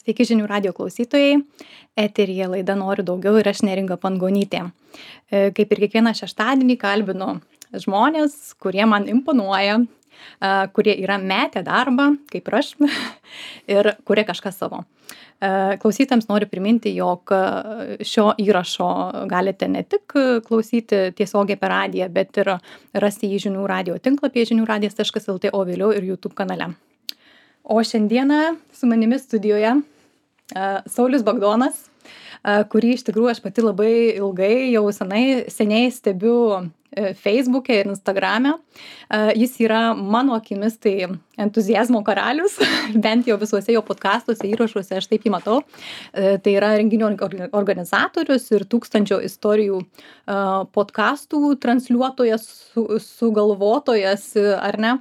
Sveiki žinių radio klausytojai. Eteryje laida Noriu daugiau ir aš Neringa Pangonytė. Kaip ir kiekvieną šeštadienį kalbinu žmonės, kurie man imponuoja, kurie yra metę darbą, kaip ir aš, ir kurie kažką savo. Klausytams noriu priminti, jog šio įrašo galite ne tik klausyti tiesiogiai per radiją, bet ir rasti jį žinių radio tinklapyje žiniųradijas.lt, o vėliau ir YouTube kanale. O šiandieną su manimi studijoje Saulius Bagdonas, kurį iš tikrųjų aš pati labai ilgai, jau seniai stebiu Facebook'e ir Instagram'e. Jis yra mano akimis tai entuziazmo karalius, bent jau visuose jo podcastuose, įrašuose, aš taip jį matau. Tai yra renginių organizatorius ir 1000 istorijų podcastų transliuotojas, sugalvotojas, ar ne?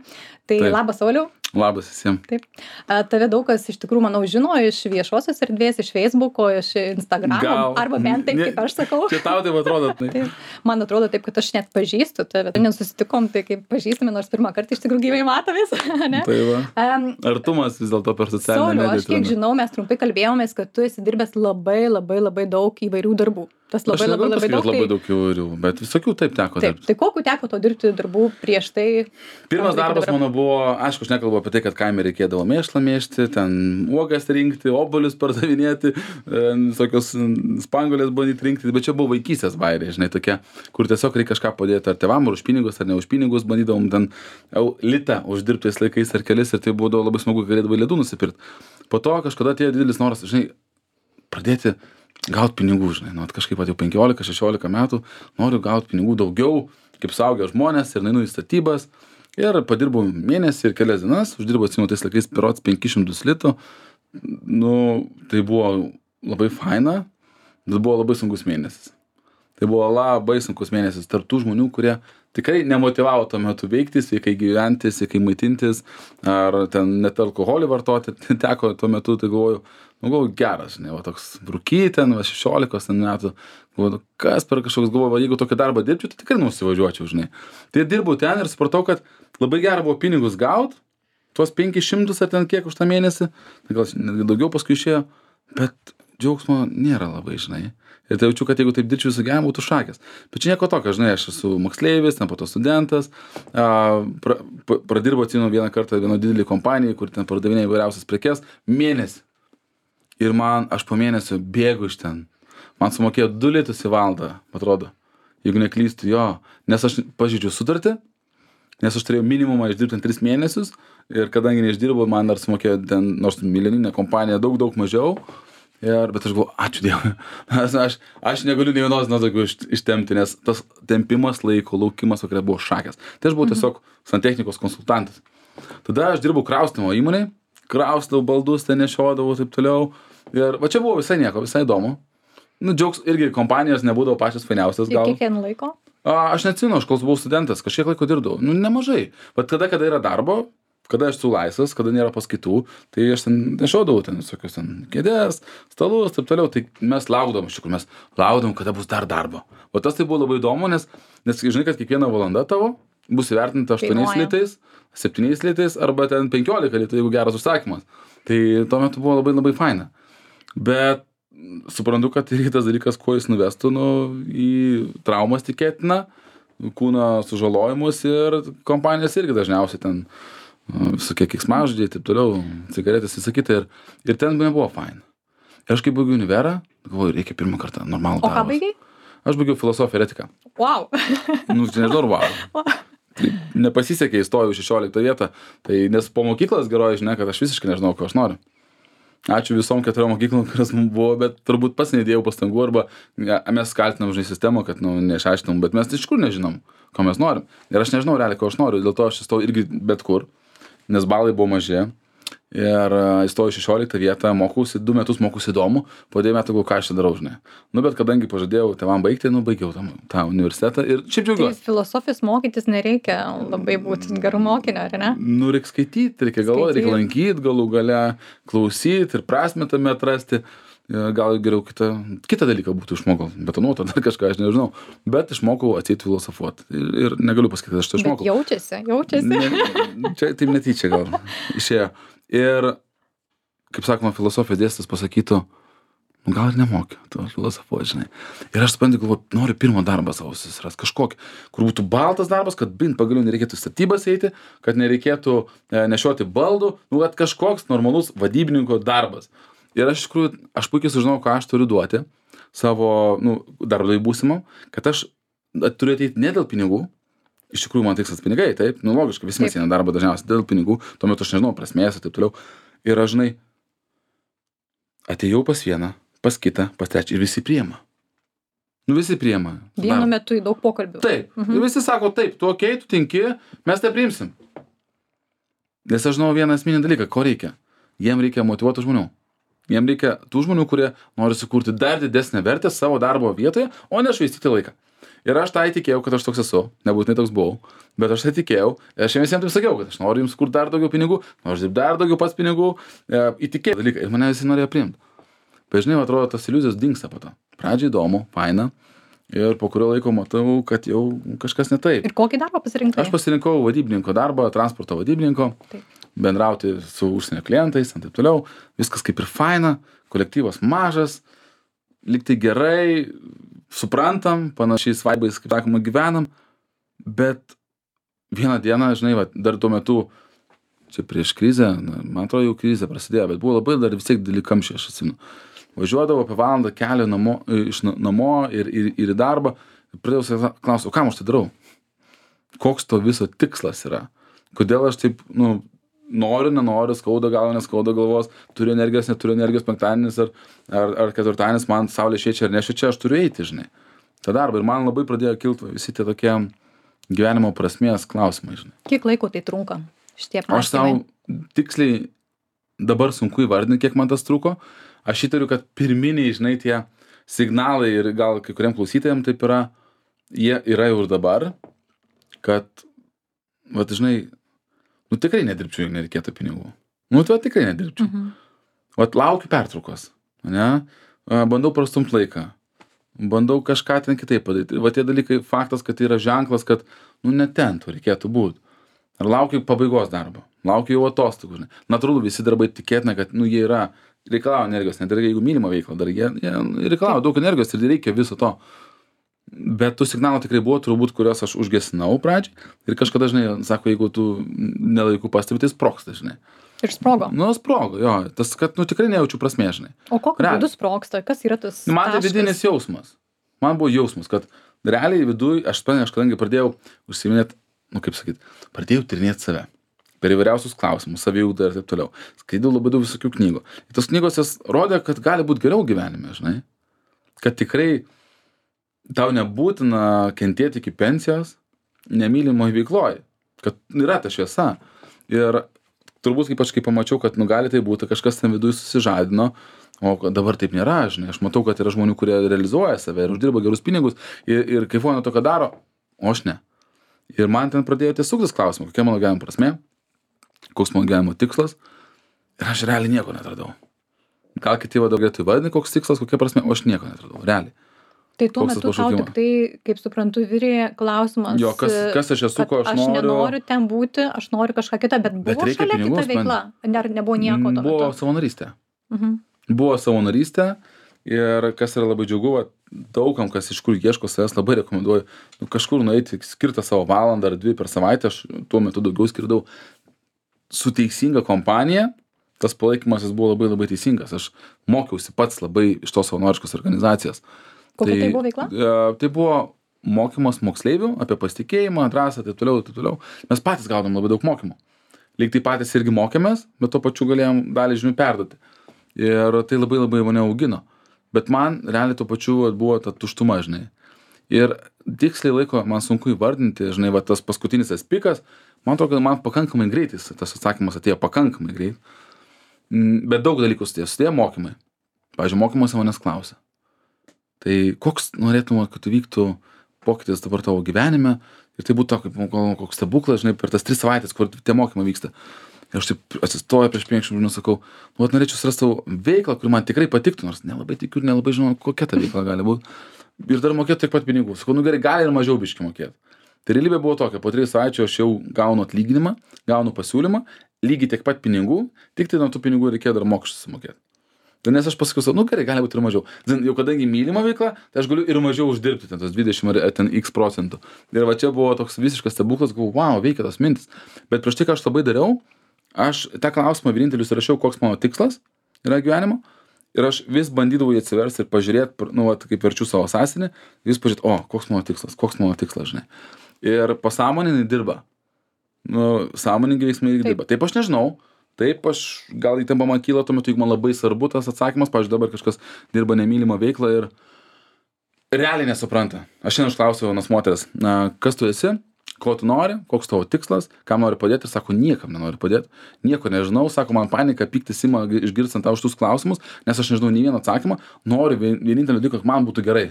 Tai taip. Labas, Sauliau. Labas visiems. Taip. Tave daug kas iš tikrųjų, manau, žino iš viešosios erdvės, iš Facebook'o, iš Instagram'o, arba bent taip, kaip aš sakau. Čia tau taip atrodo. Taip. Man atrodo taip, kad aš net pažįstu tave. Nesusitikom, tai kaip pažįstame, nors pirmą kartą iš tikrųjų gyvai matomės. Tai va. Artumas vis dėlto per socialinę mediją. Sauliau, aš kiek žinau, mes trumpai kalbėjomės, kad tu esi dirbęs labai daug įvairių darbų. Tas labai daug įvairių, bet visokių taip teko dirbti. Tai kokiu teko to dirbti darbų prieš tai? Pirmas darbas mano buvo, aišku, aš nekalbu apie tai, kad kaime reikėdavo mėšlą mėžti, ten uogas rinkti, obuolius pardavinėti, visokios spanguolės bandyti rinkti, bet čia buvo vaikystės bairiai, žinai, tokie, kur tiesiog reikia kažką padėti ar tėvam, ar už pinigus, ar ne už pinigus, bandydavom ten litą uždirbtais laikais ar kelis ir tai buvo labai smagu, kad galėdavai ledų nusipirkti. Po to kažkada atėjo didelis noras, žinai, pradėti gaut pinigų, žinai, nu, kažkaip jau 15-16 metų noriu gaut pinigų daugiau, kaip suaugę žmonės ir nainu į statybas ir padirbau mėnesį ir kelias dienas, uždirbau atsimenu tais laikais berods 500 litų, nu, tai buvo labai faina, bet buvo labai sunkus mėnesis. Tai buvo labai sunkus mėnesis tarp tų žmonių, kurie tikrai nemotyvavo tuo metu veikti, sveikai gyventi, sveikai maitintis, ar ten net alkoholį vartoti, teko tuo metu, tai galvoju, geras, žinai, va toks rūkyti, 16 metų, galvoju, kas per kažkoks galvoju, jeigu tokį darbą dirbčiau, tai tikrai nusivažiuočiau, žinai. Tai dirbau ten ir supratau, kad labai gera buvo pinigus gaut, tuos 500 ar ten kiek už tą mėnesį, tai gal netgi daugiau paskui išėjo, bet džiaugsmo nėra labai, žinai. Ir tai jaučiu, kad jeigu taip dirbčiau visą gyvenimą, būtų šakės. Bet čia nieko tokio, žinai, aš esu moksleivis, ten po to studentas, pradirbau atsimenu vieną kartą vieno didelį kompaniją, kur ten pardavinėjo įvairiausias prekes, mėnesį. Ir aš po mėnesio bėgu iš ten. Man sumokėjo 2 litus į valandą, atrodo, jeigu neklystu, jo. Nes aš pažeidžiu sutartį, nes aš turėjau minimumą išdirbti 3 mėnesius ir kadangi neišdirbau, man dar sumokėjo ten, nors milijoninė kompanija, daug mažiau. Bet aš galvoju, ačiū Dievui, aš negaliu nei vienos nuo tokių ištemti, nes tas tempimas laiko, laukimas vakare buvo šakės. Tai aš buvau tiesiog santechnikos konsultantas. Tada aš dirbau kraustymo įmonėj, kraustydavau baldus, ten nešiodavau taip toliau. Ir va čia buvo visai nieko, visai įdomu. Nu, džiaugs irgi kompanijos nebūdavo pačios fainiausias gal. Ir kiek laiko? Aš neatsimenu, aš kol buvau studentas, kažkiek laiko dirbdavau. Nu, nemažai. Bet kada yra darbo, kada aš esu laisvas, kada nėra paskaitų, tai aš ten nešiodavau ten visokius ten kėdės, stalus, taip toliau, tai mes laukdavom, kada bus dar darbo. O tas tai buvo labai įdomu, nes žinai, kad kiekviena valanda tavo bus įvertinta 8 litais, 7 litais arba ten 15 litų, jeigu geras užsakymas. Tai tuo metu buvo labai faina. Bet suprantu, kad ir tas dalykas, kuo jis nuvestų, į traumas tikėtina, kūno sužalojimus ir kompanijas irgi dažniausiai ten visokie keiksmažodžiai, taip toliau, cigaretės, visą kitą ir ten nebuvo faina. Ir aš kai baigiau univerą, galvoju, reikia pirmą kartą normalų darbą. O ką baigiai? Aš baigiau filosofiją ir etiką. Wow. Čia nežinau, wow. Tai nepasisekė, įstojau 16 vietą, tai nes po mokyklos geroji žinia, kad aš visiškai nežinau, ko aš noriu. Ačiū visom 4 mokyklom, kurios mums buvo, bet turbūt pats neįdėjau pastangų arba mes kaltinam, žinai, sistemą, kad neišaiškinom, bet mes iš kur nežinom, ko mes norim. Ir aš nežinau realiai, ko aš noriu, dėl to aš įstojau irgi bet kur, nes balai buvo maži. Ir įstojau 16 vietą, mokausi, 2 metus mokausi įdomu, po 2 metų ką aš čia darau, žinai. Bet kadangi pažadėjau tėvam baigti, baigiau tą universitetą ir šiaip džiaugiuosi. Tai filosofijos mokytis nereikia labai būti gerų mokinio, ar ne? Reikia skaityti, reikia galvoti, reikia lankyti, galų gale klausyti ir prasmę tame atrasti. Gal geriau kitą dalyką būtų išmokau, betonuotą, dar kažką, aš nežinau. Bet išmokau atseit filosofuoti. Ir negaliu pasakyti, kad aš tai išmokau. Bet jaučiasi. Čia taip netyčia gal išėjo. Ir kaip sakoma, filosofijos dėstytojas pasakytų, nu gal ir nemoki, tu filosofuoji, žinai. Ir aš suprantu, galvoju, noriu pirmą darbą savo susirast, kažkokį, kur būtų baltas darbas, kad pagaliau nereikėtų statybas eiti, kad nereikėtų nešioti baldų, nu, kad kažkoks normalus vadybininko darbas. Ir aš iš tikrųjų, aš puikiai sužinau, ką aš turiu duoti savo, nu, darbdavį būsimam, kad aš turiu ateiti ne dėl pinigų. Iš tikrųjų, man tikslas pinigai, taip, nu logiškai, visi mes eina darbą dažniausiai dėl pinigų, tuo metu aš nežinau prasmės ir taip toliau. Ir aš, žinai, atėjau pas vieną, pas kitą, pas trečią ir visi priema. Nu visi priema. Vienu metu į daug pokalbių. Taip. Ir visi sako, taip, tu okei, tu tinki, mes tai priimsim. Nes aš žinau vieną esminį dalyką, ko reikia. Jiem reikia motyvuotų žmonių. Jiem reikia tų žmonių, kurie nori sukurti dar didesnę vertę savo darbo vietoje, o ne švaistyti laiką. Ir aš tai tikėjau, kad aš toks esu, nebūtinai toks buvau, bet aš tai tikėjau, ir aš visiems taip sakiau, kad aš noriu jums kurti dar daugiau pinigų, noriu dirbti dar daugiau pats pinigų, įtikėjau dalyką, ir mane visi norėjo priimti. Bet žinai, atrodo, tas iliuzijos dingsta po to. Pradžiai įdomu, faina, ir po kurio laiko matau, kad jau kažkas ne taip. Ir kokį darbą pasirinkai? Aš pasirinkau vadybininko darbą, transporto vadybininko, bendrauti su užsienio klientais, ir taip toliau, viskas kaip ir faina, kolektyvas mažas, liktai gerai, suprantam, panašiais vaibais, kaip sakoma, gyvenam, bet vieną dieną, žinai, va, dar tuo metu, čia prieš krizę, man atrodo, jau krizė prasidėjo, bet buvo labai dar vis tiek dideli kamščiai, aš atsimenu. Važiuodavau apie valandą kelio iš namo ir į darbą, pradėjau savęs klausti, o kam aš tai darau? Koks to viso tikslas yra? Kodėl aš taip, nu, noriu, nenoriu, skauda galva, neskauda galvos, turiu energijos, neturiu energijos, penktadienis ar ketvirtadienis, man saulė šviečia ar nešviečia, aš turiu eiti, žinai, tą darbą. Ir man labai pradėjo kilti visi tie tokie gyvenimo prasmės klausimai, žinai. Kiek laiko tai trunka šitie apmąstymai? Aš savo tiksliai dabar sunku įvardinti, kiek man tas truko. Aš įtariu, kad pirminiai, žinai, tie signalai ir gal kai kuriem klausytojams taip yra, jie yra jau ir dabar, kad, vat, žinai, nu tikrai nedirbčiau, jeigu nereikėtų pinigų. Nu, tu tikrai nedirbčiau. Vat laukiu pertraukos, ne? Bandau prastumt laiką. Bandau kažką ten kitaip padaryti. Va tie dalykai, faktas, kad tai yra ženklas, kad, nu, ne ten tu reikėtų būti. Ar laukiu pabaigos darbo. Laukiu jau atostogų, žinai. Natūralu, visi darbai tikėtina, kad, nu, jie yra, reikalauja energijos, net ir jeigu mylima veikla dar, jie reikalauja daug energijos ir reikia viso to. Bet tų signalų tikrai buvo, turbūt, kuriuos aš užgesinau pradžiai. Ir kažkada, žinai, sako, jeigu tu nelaiku pastebi, tai sprogsta, žinai. Ir sprogo. Nu, sprogo, jo. Tas, kad, nu, tikrai nejaučiu prasmės, žinai. O kokiu būdu sprogsta? Kas yra tas taškas? Man tai vidinis jausmas. Man buvo jausmas, kad realiai viduj, aš kadangi pradėjau užsiminėti, nu, kaip sakyt, pradėjau tyrinėti save. Per įvairiausius klausimus, saviugdą ir taip toliau. Skaitau labai daug visokių knygų. Ir tos knygos jas rodė, kad gali būti geriau gyvenime, žinai. Kad tikrai tau nebūtina kentėti iki pensijos nemylimoje veikloje, kad yra ta šviesa. Ir turbūt kaip aš pamačiau, kad nu gali tai būti, kažkas ten viduje susižadino, o dabar taip nėra, žinai. Aš matau, kad yra žmonių, kurie realizuoja save ir uždirba gerus pinigus ir kaifuoja nuo to, ką daro, o aš ne. Ir man ten pradėjo tiesiog tas klausimas, kokia mano gyvenimo prasmė, koks mano gyvenimo tikslas, ir aš realiai nieko netradau. Gal kiti vadovėtų įvardinti, koks tikslas, kokia prasmė, o aš nieko netradau, realiai. Tai tuo metu tau tik tai, kaip suprantu, virė klausimas, jo, kas aš esu, ko aš noriu. Aš nenoriu ten būti, aš noriu kažką kitą, bet buvo šalia kita veikla, nebuvo nieko tuo metu. Buvo savanorystė. Buvo savanorystė ir kas yra labai džiugu, daugam, kas iš kur ieško savęs, labai rekomenduoju kažkur nueiti, skirtą savo valandą ar 2 per savaitę, aš tuo metu daugiau skirdau su teisinga kompanija. Tas palaikymas jis buvo labai labai teisingas. Aš mokiausi pats labai iš tos savanoriškos organizacijos. Kokia tai buvo veikla? Tai buvo mokymas moksleivių apie pasitikėjimą, drąsą, taip toliau. Mes patys gaudom labai daug mokymų. Lyg tai patys irgi mokėmės, bet tuo pačiu galėjom dalį žinių perduoti. Ir tai labai labai mane augino. Bet man realiai tuo pačiu buvo ta tuštuma, žinai. Ir tiksliai laiko man sunku įvardinti, žinai, va tas paskutinis tas pikas, man atrodo, kad man pakankamai greitis, tas atsakymas atėjo pakankamai greit. Bet daug dalykų sudėjo mokymai. Pavyzdžiui, mokymuose manęs klausia. Tai koks norėtum, kad vyktų pokytis dabar tavo gyvenime ir tai būtų kaip koks stebuklas, žinai, per tas 3 savaitės, kur tie mokymai vyksta. Ir aš taip atsistoju prieš 5 žmonių, sakau, nu, norėčiau surasti savo veiklą, kuri man tikrai patiktų, nors nelabai tikiu ir nelabai žinau, kokia ta veikla gali būti. Ir dar mokėtų tiek pat pinigų. Sakau, nu gerai, gali ir mažiau biškį mokėti. Tai realybė buvo tokia, po 3 savaičių aš jau gaunu atlyginimą, gaunu pasiūlymą, lygiai tiek pat pinigų, tik tai nuo tų pinigų reikėjo dar mokesčius sumokėti. Tai nes aš pasakiau, nu gerai, gali būti ir mažiau. Jau kadangi mylima veikla, tai aš galiu ir mažiau uždirbti, ten tos 20 ar ten x procentų. Ir va čia buvo toks visiškas stebuklas, galvoju, wow, veikia tos mintis. Bet prieš tai, ką aš labai dariau, aš tą klausimą vienintelius rašiau, koks mano tikslas yra gyvenimo. Ir aš vis bandydavau jį atsiversti ir pažiūrėti, nu, va, kaip verčiu savo sąsienį, vis pažiūrėti, koks mano tikslas, žinai. Ir pasąmoningai dirba. Nu, sąmoningai veiksmai irgi dirba. Taip aš nežinau. Taip, aš gal įtampa man kyla tuo metu, jeigu man labai svarbu tas atsakymas, pavyzdžiui, dabar kažkas dirba nemylimą veiklą ir realiai nesupranta. Aš šiandien užklausiau vienos moteris, kas tu esi, ko tu nori, koks tavo tikslas, kam nori padėti, ir sako, niekam nenori padėti, nieko nežinau, sako, man panika, pyktis ima išgirstant tau šitus klausimus, nes aš nežinau nei vieną atsakymą, noriu vienintelį dalyką, kad man būtų gerai.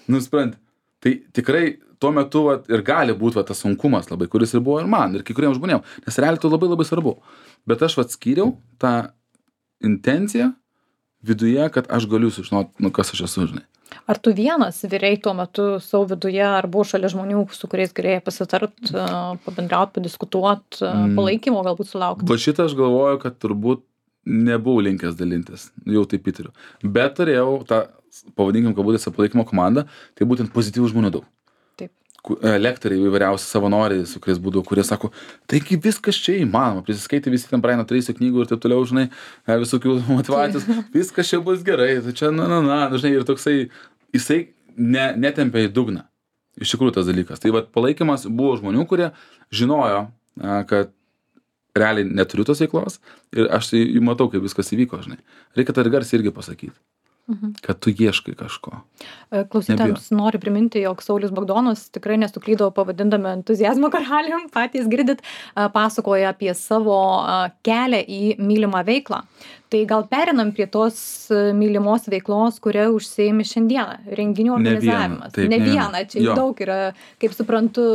Nusprendė. Tai tikrai tuo metu vat, ir gali būti tas sunkumas labai, kuris ir buvo ir man, ir kai kuriems žmonėms, nes realiai tai labai labai svarbu. Bet aš vat skyriau tą intenciją viduje, kad aš galiu sužinoti, nu, kas aš esu, žinai. Ar tu vienas vyrei tuo metu savo viduje, ar buvo šalia žmonių, su kuriais galėjai pasitart, pabendrauti, padiskutuoti, palaikymo galbūt sulaukti? Va šitą aš galvoju, kad turbūt nebuvau linkęs dalintis, jau taip įtariu. Bet turėjau tą, pavadinkim, kabutėse palaikymo komandą, tai būtent pozityvų žmonių daug. Taip. Lektoriai įvairiausi savanoriai, su kuriais būdavo, kurie sako, taigi viskas čia įmanoma, prisiskaitė visi ten Briano Tracy knygų ir taip toliau, žinai, visokių motyvacijos, viskas čia bus gerai, tai čia, žinai, ir toksai, jisai netempia į dugną. Iš tikrųjų tas dalykas. Tai vat palaikymas buvo žmonių, kurie žinojo, kad realiai neturiu tos veiklos ir aš tai matau, kaip viskas įvyko, žinai. Reikia tą ir garsiai irgi pasakyti. Kad tu ieškai kažko. Klausytojams noriu priminti, jog Saulius Bagdonas tikrai nesuklydo pavadindami entuziazmo karalium, patys girdit, pasakoja apie savo kelią į mylimą veiklą. Tai gal perinam prie tos mylimos veiklos, kuria užsiimi šiandieną, renginių organizavimas. Ne vieną, čia daug yra, kaip suprantu,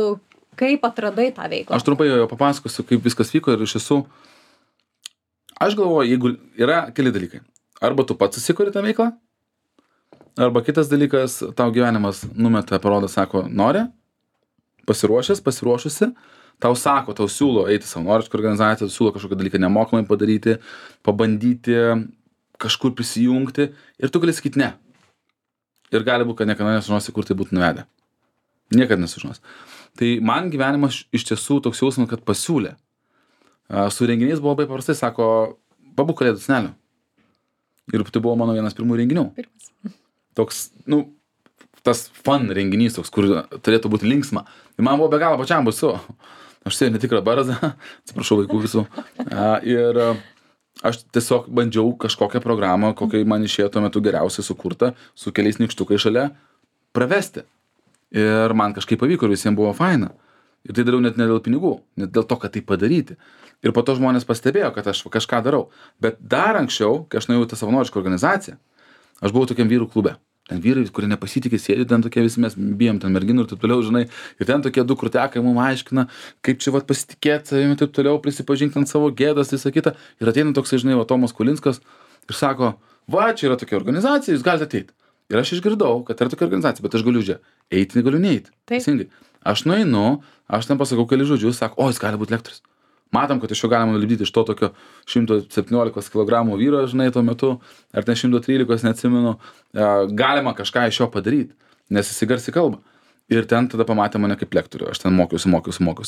kaip atradai tą veiklą. Aš trumpai jau papasakosiu, kaip viskas vyko ir iš tiesų, aš galvoju, jeigu yra keli dalykai. Arba tu pats susikuri tą veiklą, arba kitas dalykas, tau gyvenimas numeta, parodo, sako, nori, pasiruošusi, tau sako, tau siūlo eiti savanorišką organizaciją, siūlo kažkokį dalyką nemokamai padaryti, pabandyti kažkur prisijungti ir tu gali sakyti ne. Ir gali būti, kad niekada nesužinosi, kur tai būtų nuvedę. Niekada nesužinosi. Tai man gyvenimas iš tiesų toks jausmas, kad pasiūlė. Su renginiais buvo labai paprastai, sako, pabūk kalėdų senelio. Ir tai buvo mano vienas pirmų renginių. Toks, tas fun renginys, toks, kur turėtų būti linksma. Ir man buvo be galo pačiam baisu. Aš sėjau netikrą barzdą, atsiprašau vaikų visų. Ir aš tiesiog bandžiau kažkokią programą, kokia man išėjo tuo metu geriausiai sukurta, su keliais nykštukai šalia, pravesti. Ir man kažkaip pavyko ir visiems buvo faina. Ir tai dariau net ne dėl pinigų, net dėl to, kad tai padaryti. Ir po to žmonės pastebėjo, kad aš kažką darau. Bet dar anksčiau, kai aš nuėjau į tą savanorišką organizaciją, aš buvau tokiam vyrų klube. Ten vyrai, kurie nepasitikė, sėdi ten tokie visi, mes bijom ten merginų ir taip toliau, žinai. Ir ten tokie du krūtekai mums aiškina, kaip čia vat pasitikėti savimi ir taip toliau, prisipažinti ant savo gėdas, visą kitą. Ir ateina toksai, žinai, Tomas Kulinskas ir sako, va, čia yra tokia organizacija, jūs galite ateiti. Ir aš išgirdau, kad yra tokia organizacija, bet aš galiu čia eiti, negaliu neiti. Teisingai. Aš nueinu, aš ten pasakau keli žodžius, sako, o, jis gali būti lektorius. Matom, kad iš jo galima nulipdyti iš to tokio 117 kg vyro, žinai, tuo metu, ar ten 113, neatsimenu, galima kažką iš jo padaryti, nes jis garsiai kalba. Ir ten tada pamatė mane kaip lektorių, aš ten mokiausi,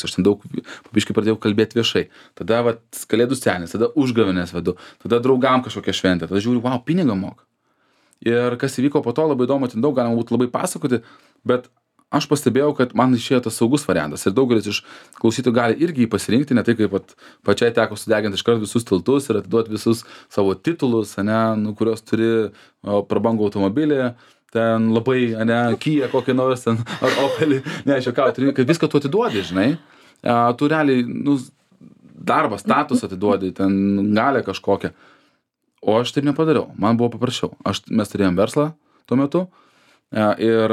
aš ten daug pabiškai pradėjau kalbėti viešai. Tada vat, kalėdų senis, tada užgavėnės vedu, tada draugam kažkokią šventę, tada žiūriu, wow, pinigą moka. Ir kas įvyko po to, labai įdomu, ten daug galima būtų labai pasakoti, bet aš pastebėjau, kad man išėjo tas saugus variantas ir daugelis iš klausytojų gali irgi jį pasirinkti, ne tai kaip pačiai teko sudeginti iškart visus tiltus ir atiduoti visus savo titulus, kurios turi prabangų automobilį, ten labai, Kia kokį nors, ar Opelį, kad viską tu atiduodi, žinai, tu realiai, darbą, status atiduodi, ten galę kažkokią, o aš taip nepadariau, man buvo paprasčiau, mes turėjom verslą tuo metu, ir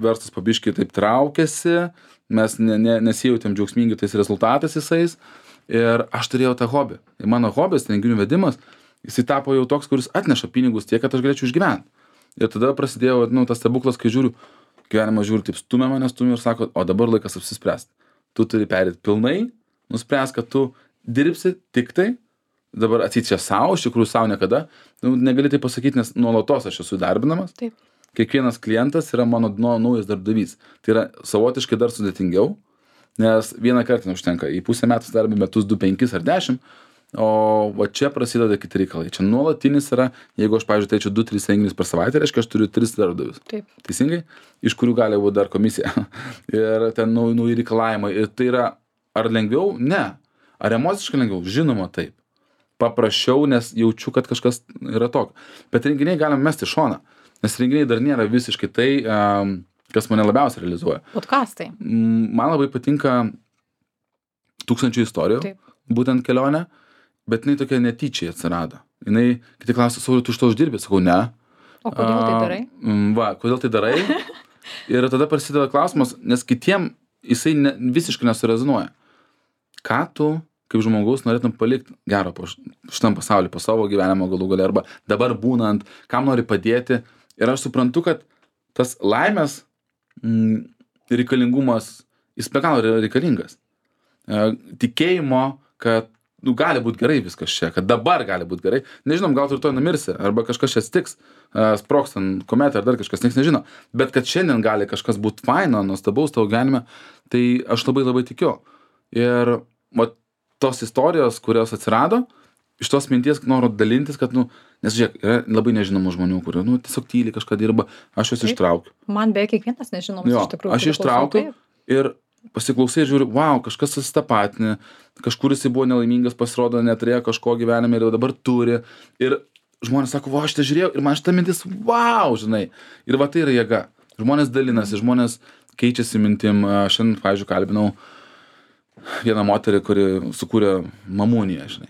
verslas pabiškai taip traukėsi, mes nesijautėm džiaugsmingi tais rezultatais visais ir aš turėjau tą hobį. Ir mano hobis, renginių vedimas, jisai tapo jau toks, kuris atneša pinigus tiek, kad aš galėčiau išgyventi. Ir tada prasidėjo tas stebuklas, kai žiūriu, gyvenimas žiūri, taip stumia ir sako, o dabar laikas apsispręsti. Tu turi perėti pilnai, nuspręs, kad tu dirbsi tik tai, dabar atseit čia savo, iš tikrųjų savo niekada, negali tai pasakyti, nes nuolatos aš esu darbinamas. Taip. Kiekvienas klientas yra mano naujas darbdavys. Tai yra savotiškai dar sudėtingiau, nes vieną kartą neužtenka. Į pusę metų darbi metus 2, 5 ar 10, o va čia prasideda kiti reikalai. Čia nuolatinis yra, jeigu aš, pavyzdžiui, teičiu 2-3 renginius per savaitę, reiškia, aš turiu 3 darbdavius. Taip. Teisingai? Iš kurių gali būti dar komisija. Ir ten nauji reikalavimai. Ir tai yra, ar lengviau? Ne. Ar emociškai lengviau? Žinoma, taip. Paprasčiau, nes jaučiu, kad kažkas yra tokio. Bet renginiai galim mesti šoną, nes renginiai dar nėra visiškai tai, kas mane labiausiai realizuoja. Podcastai. Man labai patinka 1000 istorijų, Taip. būtent kelionė, bet jinai tokia netyčiai atsirado. Jinai, kiti klausia, Sauliau, tu iš to uždirbi? Sakau, ne. O kodėl tai darai? Va, kodėl tai darai? Ir tada prasideda klausimas, nes kitiem jisai visiškai nesurezonuoja. Ką tu kaip žmogaus norėtum palikti gero po šitam pasauliu, po savo gyvenimo galų gale, arba dabar būnant, kam nori padėti. Ir aš suprantu, kad tas laimės reikalingumas, jis be galo yra reikalingas. Tikėjimo, kad gali būti gerai viskas čia, kad dabar gali būti gerai. Nežinom, gal tu rytoj numirsi, arba kažkas čia stiks, sprogs ant kometą, ar dar kažkas, nieks nežino. Bet kad šiandien gali kažkas būti faino, nuostabaus tavo gyvenime, tai aš labai labai tikiu. Ir tos istorijos, kurios atsirado, iš tos minties noriu dalintis, kad, nes žiūrėk, yra labai nežinomų žmonių, kurie, tiesiog tyliai kažką dirba, aš juos ištraukiu. Man beveik kiekvienas nežinomas iš tikrųjų. Aš ištraukiu ir pasiklausai ir žiūriu, wow, kažkas susitapatinė, kažkur jisai buvo nelaimingas, pasirodo, neturėjo kažko gyvenime ir dabar turi. Ir žmonės sako, aš tai žiūrėjau ir man šita mintis, wow, žinai. Ir va tai yra jėga. Žmonės dalinasi, žmonės keičiasi mintim. Šiandien, pavyzdžiui, kalbinau vieną moterį, kuri sukūrė mamuniją, žinai,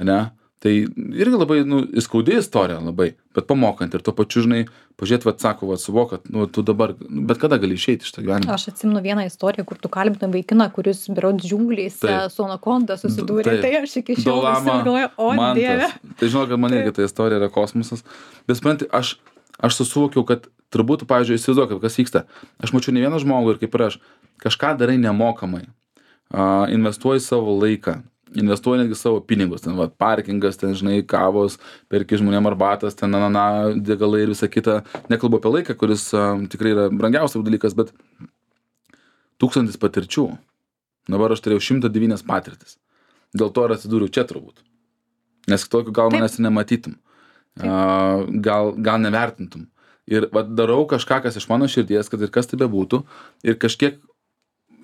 ne? Tai irgi labai, įskaudi istorija labai, bet pamokant ir tuo pačiu, žinai, pažiūrėt, sako, suvok, kad, tu dabar, bet kada gali išeiti iš to gyvenimo. Aš atsimenu vieną istoriją, kur tu kalbinai vaikiną, kuris berods džiunglėse su anakonda susidūrė, tai aš iki šiol galvoju, o Dieve. Tai žinau, kad man irgi ta istorija yra kosmosas, bet supranti, aš susivokiau, kad turbūt, pavyzdžiui, įsivaizduok, kas vyksta. Aš mačiau ne vieną žmogų ir kaip ir aš, kažką darai nemokamai. Investuoji savo laiką, investuoji netgi savo pinigus, ten parkingas, ten žinai, kavos, perki žmonėm arbatas, ten degalai ir visa kita. Nekalbu apie laiką, kuris tikrai yra brangiausias dalykas, bet 1000 patirčių. Dabar aš turėjau 109 patirtis. Dėl to ir atsidūriau čia turbūt. Nes tokiu gal manęs nematytum. Gal nevertintum. Ir darau kažką, kas iš mano širdies, kad ir kas tai bebūtų, ir kažkiek,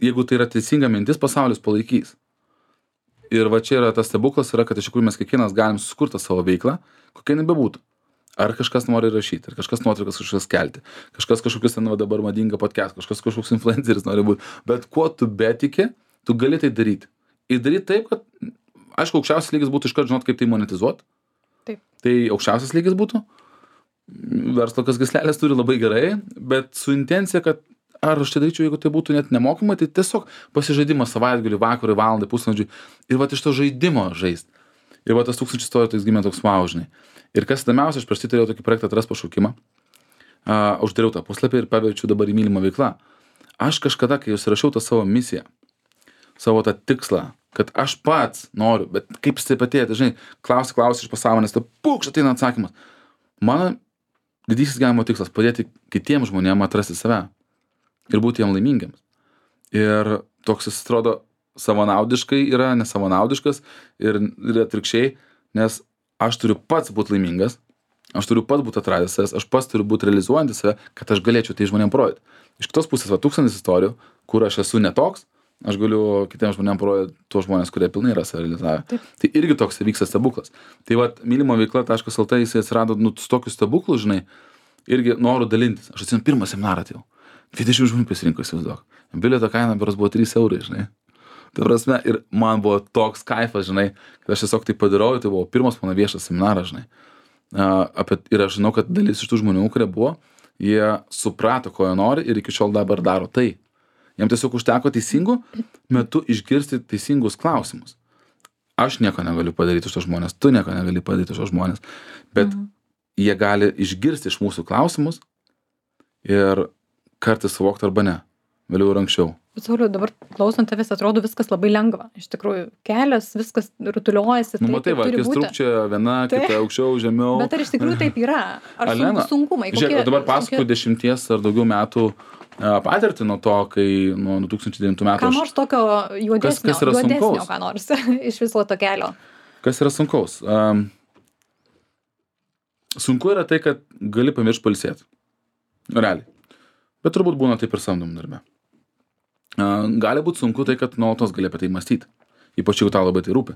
jeigu tai yra teisinga mintis, pasaulis palaikys. Ir va čia yra tas stebuklas, kad iš tikrųjų mes kiekvienas galim susikurti savo veiklą, kokia jinai bebūtų. Ar kažkas nori rašyti, ar kažkas nuotraukas kažkas kelti, kažkas kažkokius ten dabar madinga podcast, kažkoks influenceris nori būti. Bet kuo tu betiki, tu gali tai daryti. Ir daryti taip, kad, aišku, aukščiausias lygis būtų iškart žinot, kaip tai monetizuoti. Taip. Tai aukščiausias lygis būtų. Verslo kas gyslelės turi labai gerai, bet su intencija, kad ar aš tai daryčiau, jeigu tai būtų net nemokamai, tai tiesiog pasižaidimas savaitgalį, vakarui, valandai, pusvalandžiui. Ir va iš to žaidimo žaist. Ir va tas 1000 istorijų toks gimė toks wow, žinai. Ir kas įdomiausia, aš prieš tai turėjau tokį projektą Atras pašaukimą. Uždariau tą puslapį ir paverčiau dabar į mylimą veiklą. Aš kažkada, kai užsirašiau tą savo misiją, savo tą tikslą, kad aš pats noriu, bet kaip jis taip atėjo, žinai, klausi iš pasąmonės, tai pukš ateina atsakymas. Mano didysis gyvenimo tikslas - padėti kitiems žmonėms atrasti save ir būti jam laimingiams. Ir toks jis atrodo savanaudiškai yra, nesavanaudiškas ir atvirkščiai, nes aš turiu pats būti laimingas, aš turiu pats būti atradęs savęs, aš pats turiu būti realizuojantis save, kad aš galėčiau tai žmonėms parodyti. Iš kitos pusės, 1000 istorijų, kur aš esu netoks, aš galiu kitiems žmonėms parodyti tuos žmonės, kurie pilnai yra save realizavę. Tai irgi toks vyksta stebuklas. Tai mylimo veikla.lt jis atsirado su tokiu stebuklu, žinai, irgi noriu dalintis. Aš atsimenu pirmą seminarą atėjau. 20 žmonių pasirinko, įsivaizduok. Bilieto kaina berods buvo 3 eurai, žinai. Tai prasme, ir man buvo toks kaifas, žinai, kad aš tiesiog tai padarau, tai buvo pirmas mano viešas seminaras, žinai. Ir aš žinau, kad dalis iš tų žmonių, kurie buvo, jie suprato, ko jie nori ir iki šiol dabar daro tai. Jiem tiesiog užteko teisingų metu išgirsti teisingus klausimus. Aš nieko negaliu padaryti už tos žmonės, tu nieko negali padaryti už tos žmonės, bet jie gali išgirsti iš mūsų klausimus ir kartais suvokti arba ne. Vėliau ir anksčiau. Bet Sauliau, dabar klausant tavęs atrodo viskas labai lengva. Iš tikrųjų, kelias, viskas rutuliojasi. Matai, va, kai strukčia viena, kita aukščiau, žemiau. Bet ar iš tikrųjų taip yra? Ar sunkumai? Žiūrėk, dabar pasakoju 10 ar daugiau metų patirtį nuo to, kai nuo 2009 metų. Ką nors tokio juodesnio, kas yra sunkaus? Ką nors iš viso to kelio. Kas yra sunkaus? Sunku yra tai, kad gali pamiršti pailsėti. Realiai. Bet turbūt būna taip ir samdomam darbe. Gali būti sunku tai, kad nuolatos gali apie tai mąstyti. Ypač jeigu tau labai tai rūpi.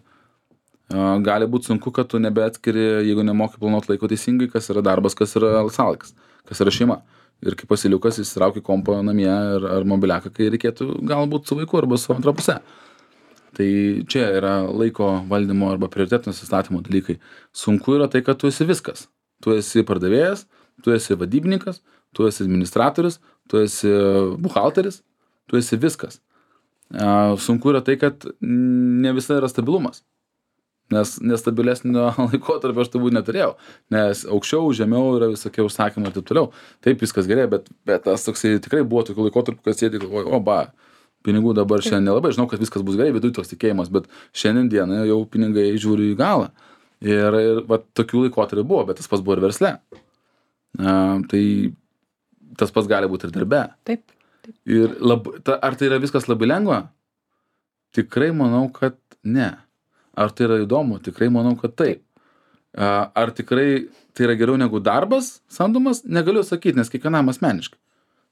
Gali būti sunku, kad tu nebeatskiri, jeigu nemoki planuoti laiko teisingai, kas yra darbas, kas yra laisvalaikis, kas yra šeima. Ir kaip pasiliukas įsitrauki kompą namie ar mobiliaką, kai reikėtų galbūt su vaiku arba su antra puse. Tai čia yra laiko valdymo arba prioritetų nusistatymo dalykai. Sunku yra tai, kad tu esi viskas. Tu esi pardavėjas, tu esi vadybininkas, tu esi administratorius, tu esi buhalteris, tu esi viskas. Sunku yra tai, kad ne visa yra stabilumas. Nes nestabilesnio laikotarpio aš turbūt neturėjau. Nes aukščiau, žemiau yra visokie užsakymai ir taip toliau. Taip viskas gerai, bet tas toksai tikrai buvo tokių laikotarpių, kad sėdi galvoju, pinigų dabar šiandien nelabai. Žinau, kad viskas bus gerai, viduj toks tikėjimas, bet šiandien dieną jau pinigai žiūri į galą. Ir va, tokių laikotarpių buvo, bet tas pats buvo ir versle. Tai tas pats gali būti ir darbe. Taip. Ir ar tai yra viskas labai lengva? Tikrai manau, kad ne. Ar tai yra įdomu? Tikrai manau, kad taip. Ar tikrai tai yra geriau negu darbas samdomas? Negaliu sakyti, nes kiekvienam asmeniškai.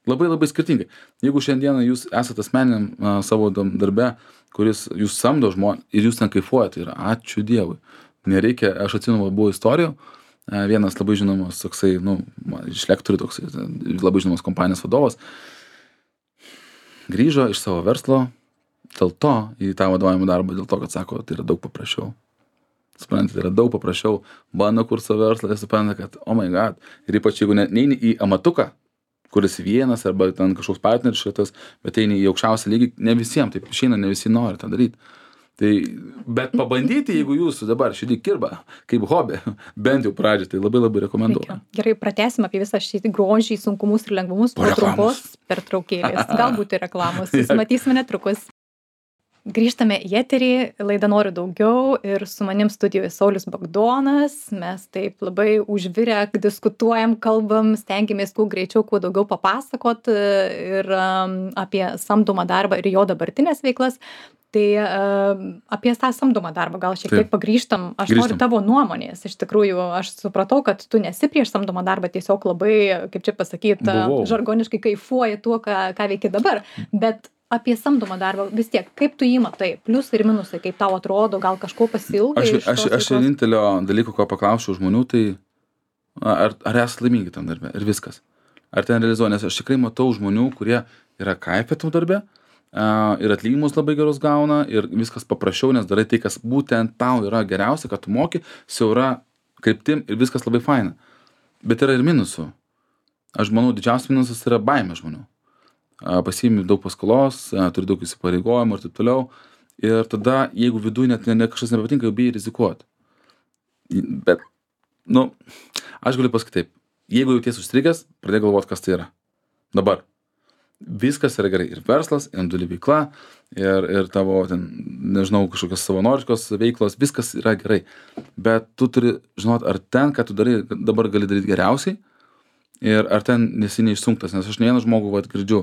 Labai labai skirtingai. Jeigu šiandieną jūs esate asmeniniam savo darbe, kuris jūs samdo žmonės ir jūs ten kaifuojate, tai yra ačiū Dievui. Nereikia, aš atsimenu, buvo istorijų. Vienas labai žinomas toksai, iš lektorių toksai, labai žinomas kompanijos vadovas, grįžo iš savo verslo dėl to į tą vadovavimo darbą, dėl to, kad sako, tai yra daug paprasčiau. Suprantate, tai yra daug paprasčiau. Bando kur savo verslą ir supranta, kad, oh my god. Ir ypač jeigu neini į amatuką, kuris vienas arba ten kažkoks partneris šitas, bet eini į aukščiausią lygį, ne visiems, taip išeina, ne visi nori tą daryti. Tai, bet pabandyti, jeigu jūs dabar šitį kirba, kaip hobį, bent jau pradžią, tai labai labai rekomenduoju. Gerai, pratęsim apie visą šį grožį, sunkumus ir lengvumus po trumpos pertraukėlės. Galbūt ir reklamos. Susimatysime netrukus. Grįžtame į eterį, laidą Noriu daugiau ir su manim studijoje Saulius Bagdonas. Mes taip labai užvirę diskutuojam, kalbam, stengiamės kuo greičiau, kuo daugiau papasakot ir apie samdomą darbą ir jo dabartinės veiklas. Tai apie tą samdomą darbą gal šiek tiek pagrįžtam. Noriu tavo nuomonės. Iš tikrųjų, aš supratau, kad tu nesi prieš samdomą darbą, tiesiog labai, kaip čia pasakyti, žargoniškai kaifuoji tuo, ką veiki dabar. Bet apie samdomą darbą vis tiek, kaip tu jį matai, pliusai ir minusai, kaip tau atrodo, gal kažko pasilgai? Aš vienintelio dalyko, ko paklausčiau žmonių, tai ar esate laimingi tam darbe ir viskas. Ar ten realizuoja, nes aš tikrai matau žmonių, kurie yra kaifė tam darbe, ir atlyginimus labai gerus gauna ir viskas paprasčiau, nes darai tai, kas būtent tau yra geriausia, kad tu moki, siaura kryptim ir viskas labai faina. Bet yra ir minusų. Aš manau, didžiausias minusas yra baimė žmonių. Pasiimi daug paskolos, turi daug įsipareigojimų ir taip toliau. Ir tada, jeigu viduje net kažkas nepatinka, jau bijai rizikuoti. Bet, aš galiu pasakyti taip. Jeigu jauties užstrigęs, pradėk galvoti, kas tai yra. Dabar. Viskas yra gerai. Ir verslas, ir individuali veikla, ir tavo, nežinau, kažkokios savanoriškos veiklos, viskas yra gerai. Bet tu turi žinoti, ar ten, ką tu darai, dabar gali daryti geriausiai, ir ar ten nesi neišsunktas. Nes aš ne vieną žmogų girdžiu,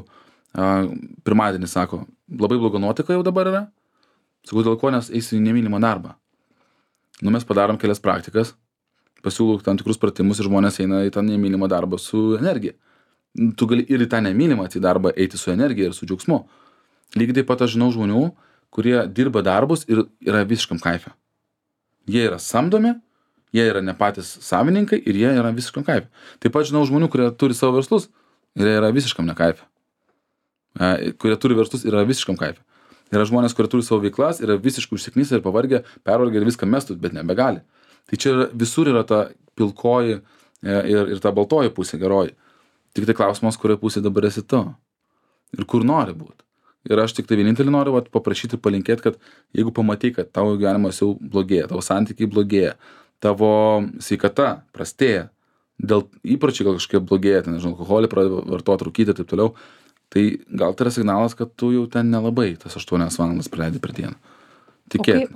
pirmadienį sako, labai bloga nuotaika jau dabar yra, sakau, dėl ko, nes eisiu į nemylimą darbą. Mes padarom kelias praktikas, pasiūlau tam tikrus pratimus ir žmonės eina į tą nemylimą darbą su energija. Tu gali ir į tą nemylimą darbą eiti su energija ir su džiaugsmu. Lygiai taip pat aš žinau žmonių, kurie dirba darbus ir yra visiškam kaife. Jie yra samdomi, jie yra ne patys savininkai ir jie yra visiškam kaife. Taip pat žinau žmonių, kurie turi savo verslus ir jie yra visiškam nekaife. Kurie turi verslus ir yra visiškam kaife. Yra žmonės, kurie turi savo veiklas, yra visiškai užsiknysę ir pavargę, pervargę ir viską mestų, bet nebegali. Tai čia visur yra ta pilkoji ir ta baltoji pusė geroji. Tik tai klausimas, kurioje pusėje dabar esi tu ir kur nori būti. Ir aš tik tai vienintelį noriu paprašyti ir palinkėti, kad jeigu pamatai, kad tavo gyvenimas jau blogėja, tavo santykiai blogėja, tavo sveikata prastėja, dėl įpročiai gal kažkiek blogėja, ten, nežinau, alkoholį pradeda vartoti, rūkyti ir taip toliau, tai gal tai yra signalas, kad tu jau ten nelabai tas 8 valandas praleidi per dieną.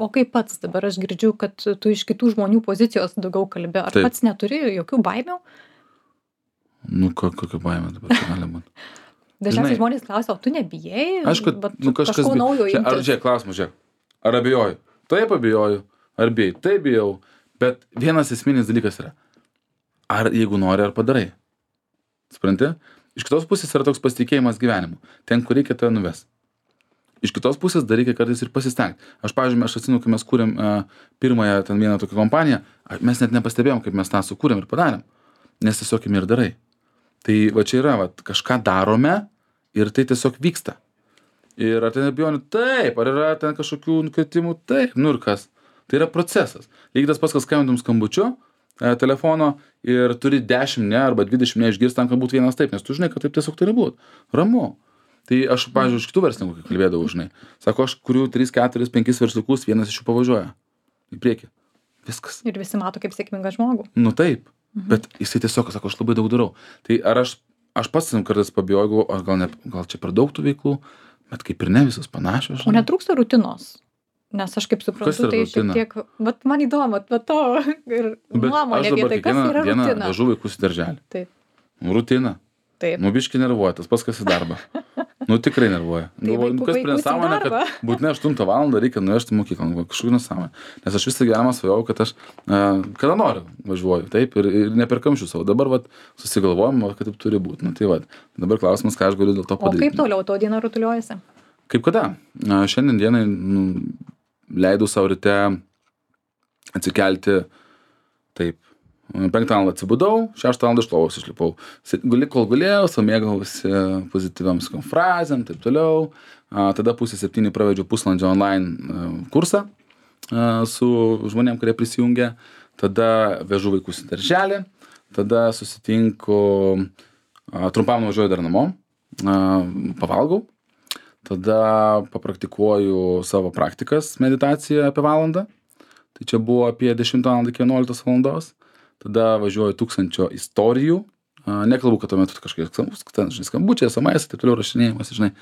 O kaip pats dabar aš girdžiu, kad tu iš kitų žmonių pozicijos daugiau kalbi, ar pats neturi jokių baimių? Nu, kokia baimė dabar gali būti? Dažniausiai žmonės klausia, o tu nebijai? Aišku, kažko naujo imtis. Ar žiūrėk, klausimas, žiūrėk, ar abejoju? Taip abejoju, ar bijai? Taip bijau, bet vienas esminis dalykas yra, ar jeigu nori, ar padarai. Supranti? Iš kitos pusės yra toks pasitikėjimas gyvenimu. Ten, kur reikia, tave nuves. Iš kitos pusės dar reikia kartais ir pasistengti. Aš, pavyzdžiui, aš atsimenu, kai mes kūrėm pirmąją ten vieną tokią kompaniją, mes net nepastebėjom, kaip mes tą sukūrėm ir padarėm. Nes tiesiog ir darai. Tai va čia yra, va, kažką darome ir tai tiesiog vyksta. Ir ar ten abejonių? Taip. Ar yra ten kažkokių nukritimų? Taip. Nu ir kas? Tai yra procesas. Lygiai tas pats, kas skambintum skambučiu telefono ir turi 10 ne arba 20 ne išgirsti tam, kad būtų vienas taip, nes tu žinai, kad taip tiesiog turi būti. Ramu. Tai aš, pavyzdžiui, iš kitų verslininkų, kai kalbėdavau, žinai, sako, aš kuriu 3, 4, 5 versliukus, vienas iš jų pavažiuoja į priekį. Viskas. Ir visi mato kaip sėkmingą žmogų. Nu taip, bet jisai tiesiog sako, aš labai daug darau. Tai ar aš pats kartais pabijojau, gal čia per daug tų veiklų, bet kaip ir ne visos panašios. Žinai. O netrūksta rutinos? Nes aš kaip suprantu, tai šiek tiek, vat man įdomu, vat to ir nuomonė apie tai, kas yra rutina. Bet aš dabar kiekvieną dieną vežu vaikus į darželį. Taip. Rutina. Taip. Nu, biškį nervuoja, tas pats, kas į darbą. Nu, tikrai nervuoja. Kas prie nesąmonė, kad būtinai 8 valandą reikia nuvežti į mokyklą. Kažkokiu nesąmonė. Nes aš visą gyvenimą svajojau, kad aš kada noriu važiuoju, taip, ir ne per kamščius savo. Dabar, vat, susigalvojom, kad taip turi būti. Nu, tai vat, dabar klausimas, ką aš galiu dėl to padaryti. O kaip toliau to diena rutuliuojasi? Kaip kada? Šiandien dienai leidau savo ryte atsikelti taip. 5 valandą atsibudau, 6 valandą iš lovos išlipau. Kol gulėjau, mėgausi pozityviam frazėm, taip toliau. Tada 6:30 pravedžiau pusvalandžio online kursą su žmonėm, kurie prisijungia. Tada vežu vaikus į darželį. Tada susitinku, trumpam nuvažiuoju dar namo, pavalgau. Tada papraktikuoju savo praktikas, meditaciją apie valandą. Tai čia buvo apie 10 valandą iki 11 valandos. Tada važiuoju 1000 istorijų. Nekalbu, kad tuo metu kažkiek skambučiai, SMS, taip toliau rašinėjimas, žinai.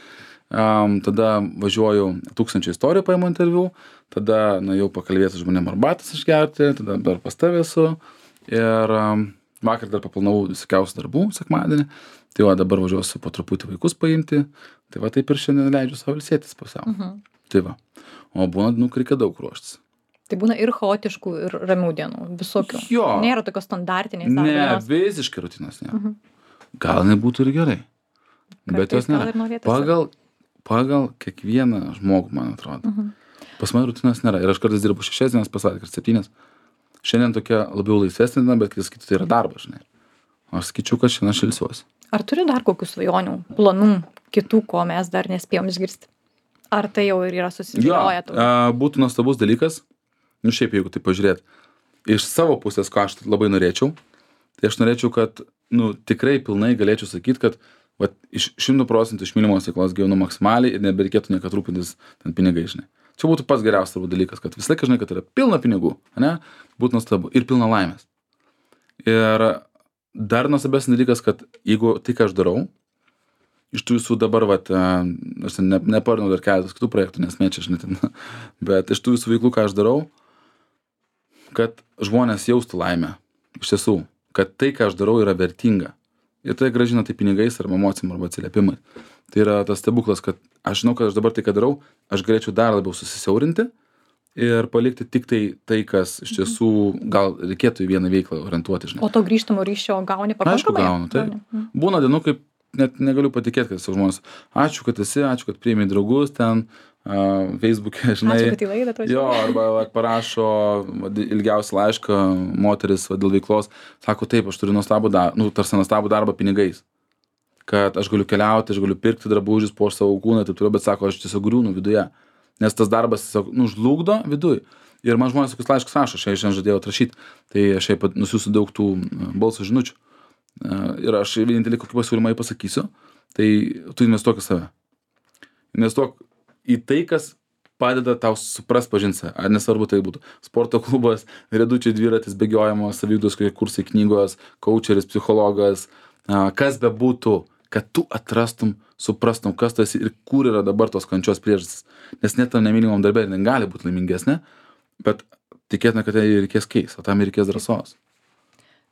Tada važiuoju 1000 istorijų, paimu interviu. Tada jau pakalbėti su žmonėm arbatas išgerti. Tada dar pas tavę esu. Ir vakar dar paplanavau visokiausių darbų sekmadienį. Tai va, dabar važiuosiu po truputį vaikus paimti. Tai va, taip ir šiandien leidžiu savo ilsėtis pusiau. Tai va. O būna, reikia daug ruoštis. Tai būna ir chaotiškų, ir ramių dienų, visokių. Jo. Nėra tokios standartiniais. Ne, visiškai rutinos nėra. Gal nebūtų ir gerai. Bet jos nėra. Pagal kiekvieną žmogų, man atrodo. Pas mane rutinos nėra. Ir aš kartais dirbu 6 dienas, pas savaitę, 7. Šiandien tokia labiau laisvesnė diena, bet kai sakytų, tai yra darbas, žinai. Aš skaičiu, kad šiandien aš ilsiuosi. Ar turi dar kokių svajonių, planų, kitų, ko mes dar nespėjom išgirsti? Ar tai jau ir yra susidėlioję? Būtų nuostabus dalykas. Nu šiaip, jeigu tai pažiūrėt, iš savo pusės, ko aš labai norėčiau, tai aš norėčiau, kad, tikrai pilnai galėčiau sakyti, kad iš 100% iš mylimos veiklos gyvenu maksimaliai ir nebereikėtų niekad rūpintis ten pinigai, žinai. Čia būtų pats geriausias turbūt dalykas, kad visą laiką žinai, kad yra pilna pinigų, ne? Būtų nuostabu ir pilna laimės. Ir dar nuostabesnis dalykas, kad jeigu tai, ką aš darau, iš tų visų dabar, aš neparnau dar keletas kitų projektų, nes mėčia, žinai, ten, bet iš tų visų veiklų, ką aš darau, kad žmonės jaustų laimę, iš tiesų, kad tai, ką aš darau, yra vertinga. Ir tai grąžina tai pinigais arba emocijom arba atsiliepimais. Tai yra tas stebuklas, kad aš žinau, kad aš dabar tai, ką darau, aš galėčiau dar labiau susisiaurinti ir palikti tik tai, kas iš tiesų gal reikėtų į vieną veiklą orientuoti, žinai. O to grįžtamo ryšio gauni pakankamai? Aišku, gaunu, tai. Būna dienų, kaip net negaliu patikėti, kad žmonės, ačiū, kad esi, ačiū, kad priėmė draugus ten, Facebook'e, žinai. Ačiū, kad į laidą atvažiavai. Jo, arba parašo ilgiausią laišką moteris dėl veiklos, sako, taip, aš turiu nuostabų darbą pinigais, kad aš galiu keliauti, aš galiu pirkti drabužius po savo kūną, taip toliau, bet sako, aš tiesiog griūnu viduje, nes tas darbas tiesiog žlugdo viduj. Ir man žmonės tokius laiškus rašo, aš šiandien žadėjau atrašyti, tai aš nusiųsiu daug tų balso žinučių. Ir aš vienintelį kokį pasiūlymą pasakysiu, tai tu investuok į save. Investuok į tai, kas padeda tau suprast, pažint save. Ar nesvarbu tai būtų sporto klubas, riedučiai dviratis, bėgiojimo, saviugdos kokie kursai, knygos, coacheris, psichologas, kas bebūtų, kad tu atrastum, suprastum, kas tu esi ir kur yra dabar tos kančios priežastis. Nes net tam nemylimam darbė jinai gali būti laimingesnė, bet tikėtina, kad tai reikės keis, o tam reikės drąsos.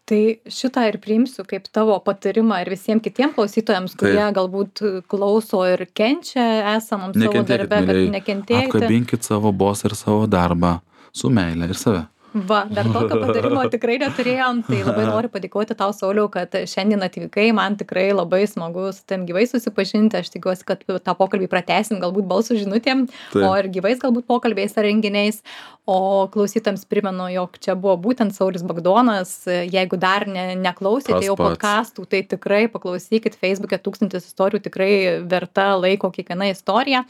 Tai šitą ir priimsiu kaip tavo patarimą ir visiems kitiems klausytojams, kurie galbūt klauso ir kenčia esamam savo darbe, kad nekentėkite. Apkabinkit savo bosą ir savo darbą su meile ir save. Va, dar tokio patarimo tikrai neturėjom, tai labai noriu padėkoti tau, Sauliau, kad šiandien atvykai, man tikrai labai smagu su tavim gyvai susipažinti, aš tikiuosi, kad tą pokalbį pratęsim galbūt balsų žinutėm, o ir gyvais galbūt pokalbiais ar renginiais, o klausytams primenu, jog čia buvo būtent Saulius Bagdonas, jeigu dar neklausėte jau podcastų, tai tikrai paklausykit Facebook'e 1000 istorijų, tikrai verta laiko kiekviena istorija,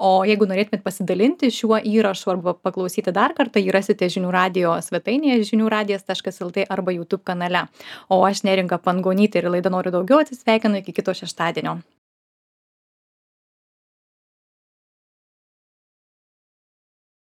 o jeigu norėtumėt pasidalinti šiuo įrašu arba paklausyti dar kartą, jį rasite žinių radijo svetainėje žiniųradijas.lt arba YouTube kanale. O aš Neringa Pangonytė ir laida Noriu daugiau atsisveikinu iki kito šeštadienio.